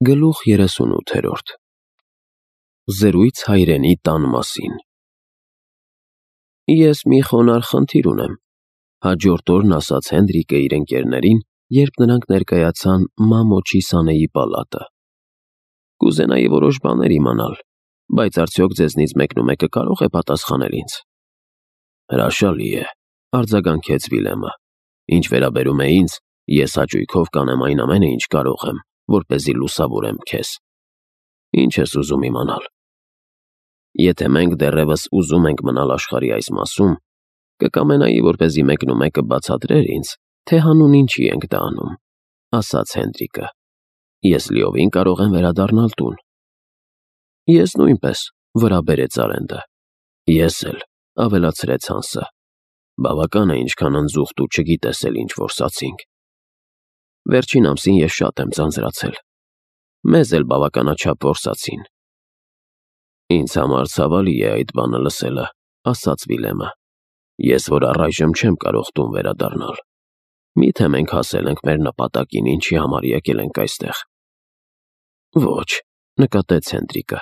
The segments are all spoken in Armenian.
Գլուխ 38 Զրույց հայրենի տան մասին։ Ես մի խոնարհ խնդիր ունեմ, հաջորդ օրն ասաց Հենրիկը իր ընկերներին, երբ նրանք ներկայացան մամոչի Սանեի պալատը։ Կուզենայի որոշ բաներ իմանալ, բայց արդյոք ձեզնից մեկնումեկը կարող է պատասխանել ինձ։ Հրաշալի է, արձագանքեց Վիլեմը։ Ինչ վերաբերում է ինձ, ես հաճույքով կանեմ այն ամենը, ինչ կարող եմ, որպեսզի լուսավորեմ քեզ։ Ինչ ես ուզում իմանալ։ Եթե մենք դեռևս ուզում ենք մնալ աշխարհի այս մասում, կկամենայի, որպեսզի մեկնումեկը բացատրեր ինձ, թե հանուն ինչի ենք դա անում, ասաց Հենրիկը։ Ես լիովին կարող եմ վերադառնալ տուն։ Ես նույնպես, վրա բերեց Արենդը։ Ես էլ, ավելացրեց Հանսը։ Բավական է, ինչքան ընձուղտ ու չգիտես էլ ինչ որ սացինք։ Վերջին ամսին ես շատ եմ ձանձրացել։ Մեզ էլ բավականաչափ որսացին։ Ինձ համար ցավալի է այդ բանը լսելը, ասաց Վիլեմը։ Ես որ առայժմ չեմ կարող տուն վերադառնալ։ Միթե մենք հասել ենք մեր նպատակին, ինչի համար եկել ենք այստեղ։ Ոչ, նկատեց Հենրիկը,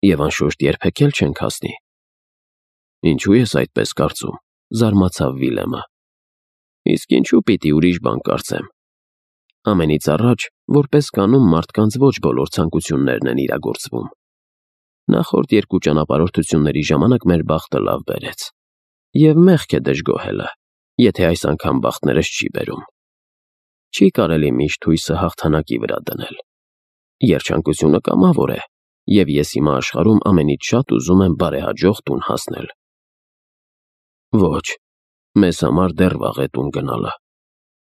եւ անշուշտ երբեք էլ չենք հասնի։ Ինչու ես այդպես կարծում, զարմացավ Վիլեմը։ Իսկ ինչու պիտի ուրիշ բան կարծեմ։ Ամենից առաջ, որպես կանոն մարդկանց ոչ բոլոր ցանկություններն են իրագործվում։ Նախորդ երկու ճանապարհորդությունների ժամանակ մեր բախտը լավ բերեց։ Եվ մեղք է դժգոհելը, եթե այս անգամ բախտներս չի բերում։ Չի կարելի միշտ հույսը հաղթանակի վրա դնել։ Երջանկությունը կամավոր է, եւ ես հիմա աշխարհում ամենից շատ ուզում եմ բարեհաջող տուն հասնել։ Ոչ, մեզ համար դեռ վաղ է տուն գնալը,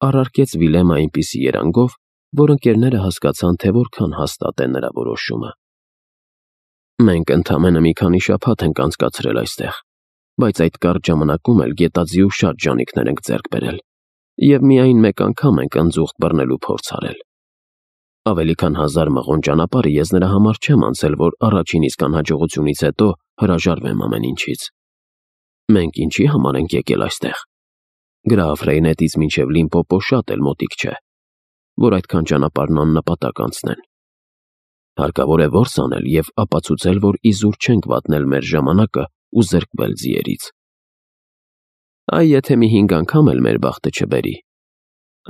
առարկեց Վիլեմը այնպիսի երանգով, որ ընկերները հասկացան, թե որքան հաստատ է նրա որոշումը։ Մենք ընդամենը մի քանի շաբաթ ենք անցկացրել այստեղ, բայց այդ կարճ ժամանակում էլ գետաձիու շատ ժանիքներ ենք ձեռք բերել, եւ միայն մեկ անգամ ենք ընձուղտ բռնելու փորձ արել։ Ավելի քան 1000 մղոն ճանապարհը ես նրա համար չեմ անցել, որ առաջին իսկ անհաջողությունից հետո հրաժարվեմ ամեն ինչից։ Մենք ինչի համար ենք եկել այստեղ։ Գրաֆ Ռեյնետից մինչև Լիմպոպո շատ էլ մոտիկ չէ, որ այդքան ճանապարհն աննպատակ անցնեն։ Հարկավոր է որս անել եւ ապացուցել, որ իզուր չենք վատնել մեր ժամանակը ու զրկվել ձիերից։ Այ եթե մի 5 անգամ էլ մեր բախտը չբերի,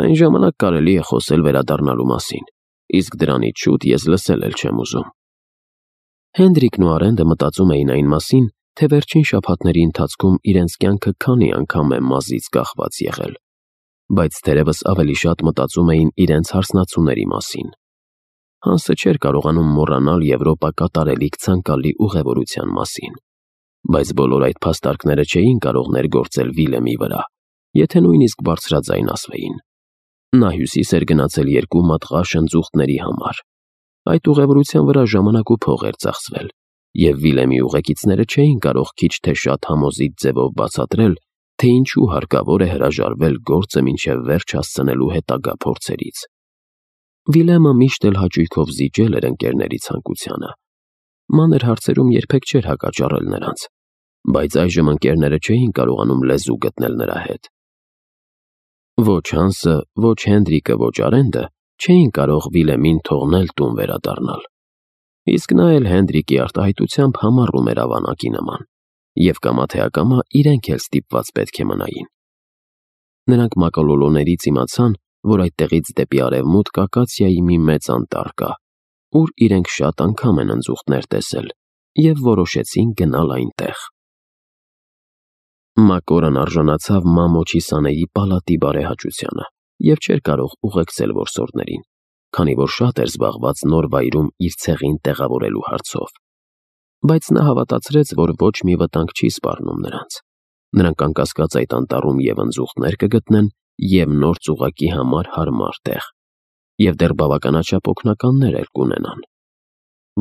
այն ժամանակ կարելի է խոսել վերադառնալու մասին, իսկ դրանից շուտ ես լսել էլ չեմ ուզում։ Հենրիկն ու Արենդը մտածում էին այն մասին, թե վերջին շաբաթների ընթացքում իրենց կյանքը քանի անգամ է մազից կախված եղել, բայց թերևս ավելի շատ մտածում էին իրենց հարսնացուների մասին։ Հանսը չէր կարողանում մոռանալ Եվրոպա կատարելիք ցանկալի ուղևորության մասին, բայց բոլոր այդ փաստարկները չէին կարող ներգործել Վիլեմի վրա, եթե նույնիսկ բարձրաձայն ասվեին։ Նա հյուսիս էր գնացել 2 մատղաշ ընձուղտների համար։ Այդ ուղևորության վրա ժամանակ ու փող էր ծախսվել, եւ Վիլեմի ուղեկիցները չէին կարող քիչ թե շատ համոզիչ ձևով բացատրել, թե ինչու հարկավոր է հրաժարվել գործը մինչև վերջ հասցնելու հետագա փորձերից։ Վիլեմը միշտ էլ հաճույքով զիջել էր ընկերների ցանկությանը։ Մանր հարցերում երբեք չէր հակաճառել նրանց, բայց այժմ ընկերները չէին կարողանում լեզու գտնել նրա հետ։ Ոչ Հանսը, ոչ Հենրիկը, ոչ Արենդը չէին կարող Վիլեմին թողնել տուն վերադառնալ։ Իսկ նա էլ Հենրիկի արտահայտությամբ համառում էր ավանակի նման, եւ կամա թե ակամա իրենք էլ ստիպված պետք է մնային։ Նրանք մակոլոլոներից իմացան, որ այդտեղից դեպի արևմուտք Ակացիայի մի մեծ անտառ կա, ուր իրենք շատ անգամ են ընձուղտներ տեսել, եւ որոշեցին գնալ այնտեղ։ Մակորան արժանացավ մամոչի Սանեի պալատի բարեհաճությանը եւ չէր կարող ուղեկցել որսորդներին, քանի որ շատ էր զբաղված նոր վայրում իր ցեղին տեղավորելու հարցով։ Բայց նա հավատացրեց, որ ոչ մի վտանգ չի սպառնում նրանց։ Նրանք անկասկած այդ անտառում եւ ընձուղտներ կգտնեն եւ նոր ծուղակի համար հարմար տեղ, եւ դեռ բավականաչափ օգնականներ էլ կունենան։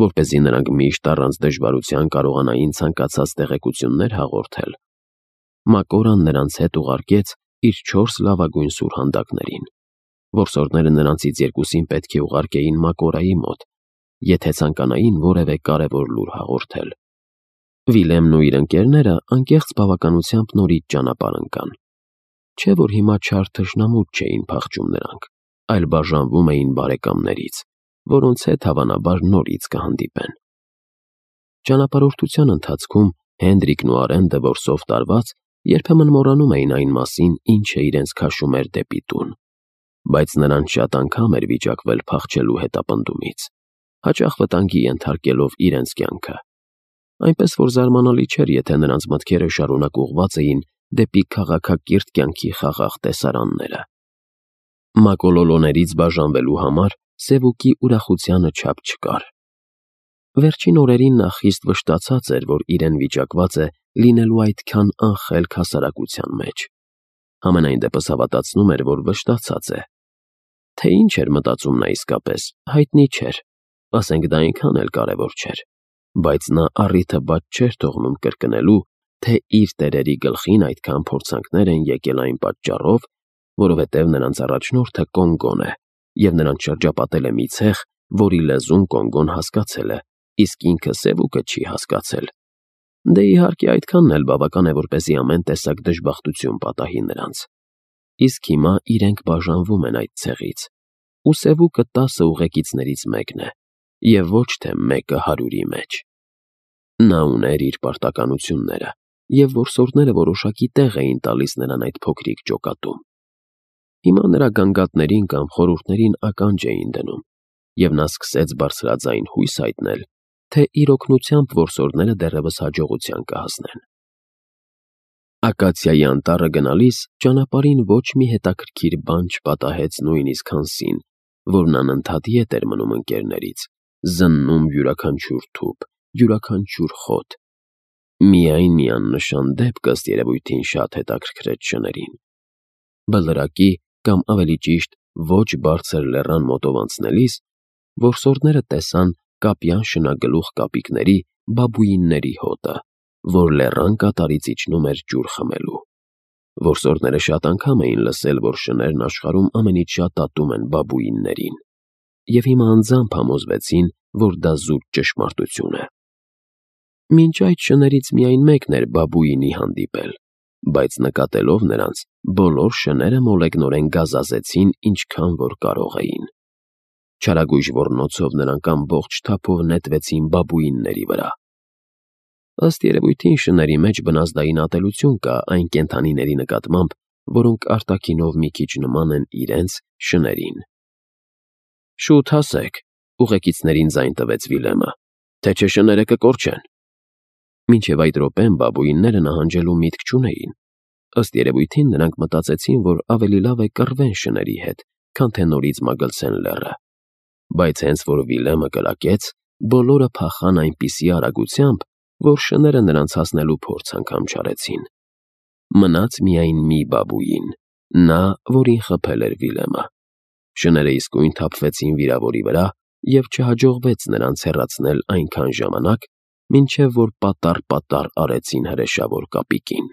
Որպեսզի նրանք միշտ առանց դժվարության կարողանային ցանկացած տեղեկություններ հաղորդել, Մակորան նրանց հետ ուղարկեց իր 4 լավագույն սուրհանդակներին։ Որսորդները նրանցից 2-ին պետք է ուղարկեին Մակորայի մոտ, եթե ցանկանային որևէ կարևոր լուր հաղորդել։ Վիլեմն ու իր ընկերները անկեղծ բավականությամբ նորից ճանապարհ ընկան։ Չէ որ հիմա չար թշնամուց չէին փախչում նրանք, այլ բաժանվում էին բարեկամներից, որոնց հետ հավանաբար նորից կհանդիպեն։ Ճանապարհորդության ընթացքում Հենրիկն ու Արենդը որսով տարված երբեմն մոռանում էին այն մասին, ինչը իրենց քաշում էր դեպի տուն, բայց նրանց շատ անգամ էր վիճակվել փախչելու հետապնդումից, հաճախ վտանգի ենթարկելով իրենց կյանքը։ Այնպես որ զարմանալի չէր, եթե նրանց մտքերը շարունակ ուղղված էին դեպի քաղաքակիրթ կյանքի խաղաղ տեսարանները։ Մակոլոլոներից բաժանվելու համար Սևուկի ուրախությանը չափ չկար։ Վերջին օրերին նա խիստ վշտացած էր, որ իրեն վիճակված է լինելու այդքան անխելք հասարակության մեջ։ Համենայն դեպս հավատացնում էր, որ վշտացած է։ Թե ինչ էր մտածում նա իսկապես, հայտնի չէր, ասենք դա այնքան էլ կարևոր չէր, բայց նա առիթը բաց չէր թողնում կրկնելու, թե իր տերերի գլխին այդքան փորձանքներ են եկել այն պատճառով, որովհետև նրանց առաջնորդը Կոնգոն է, և նրանց շրջապատել է մի ցեղ, որի լեզուն Կոնգոն հասկացել է, իսկ ինքը Սևուկը չի հասկացել։ Դե իհարկե այդքանն էլ բավական է, որպեսզի ամեն տեսակ դժբախտություն պատահի նրանց։ Իսկ հիմա իրենք բաժանվում են այդ ցեղից, ու Սևուկը 10 ուղեկիցներից մեկն է, և ոչ թե մեկը 100-ի մեջ։ Նա ուներ իր պարտականությունները, և որսորդները որոշակի տեղ էին տալիս նրան այդ փոքրիկ ջոկատում։ Հիմա նրա գանգատներին կամ խորհուրդներին ականջ էին դնում, և նա սկսեց բարձրաձայն հույս հայտնել, թե իր օգնությամբ որսորդները դեռևս հաջողության կհասնեն։ Ակացիայի անտառը գնալիս ճանապարհին ոչ մի հետաքրքիր բան չպատահեց նույնիսկ Հանսին, որն անընդհատ ետ էր մնում ընկերներից, զննում յուրաքանչյուր թուփ, յուրաքանչյուր խոտ։ Միայն մի աննշան դեպք ըստ երևույթին շատ հետաքրքրեց շներին։ Բլրակի, կամ ավելի ճիշտ, ոչ բարձր լեռան մոտով անցնելիս, որսորդները տեսան կապյան շնագլուխ կապիկների բաբուինների հոտը, որ լեռան կատարից իջնում էր ջուր խմելու։ Որսորդները շատ անգամ էին լսել, որ շներն աշխարհում ամենից շատ ատում են բաբուիններին, և հիմա անձամբ համոզվեցին, որ դա զուտ ճշմարտություն է։ Մինչ այդ շներից միայն մեկն էր բաբուինի հանդիպել, բայց նկատելով նրանց, բոլոր շները մոլեգնորեն գազազեցին ինչքան որ կարող էին։ Չարագույժ ոռնոցով նրանք ամբողջ թափով նետվեցին բաբուինների վրա։ Ըստ երևույթին շների մեջ բնազդային ատելություն կա այն կենդանիների նկատմամբ, որոնք արտաքինով մի քիչ նման են իրենց շներին։ Շուտ հասեք, ուղեկիցներին ձայն տվեց Վիլեմը, թե չէ շները կկորչեն։ Մինչև այդ րոպեն բաբուինները նահանջելու միտք չունեին։ Ըստ երևույթին նրանք մտածեցին, որ ավելի լավ է կռվեն շների հետ, քան թե նորից մագլցեն լեռը։ Բայց հենց որ Վիլեմը կրակեց, բոլորը փախան այնպիսի արագությամբ, որ շները նրանց հասնելու փորձ անգամ չարեցին։ Մնաց միայն մի բաբուին, նա, որին խփել էր Վիլեմը։ Շները իսկույն թափվեցին վիրավորի վրա, և չհաջողվեց նրանց հեռացնել այնքան ժամանակ, մինչև որ պատառ-պատառ արեցին հրեշավոր կապիկին։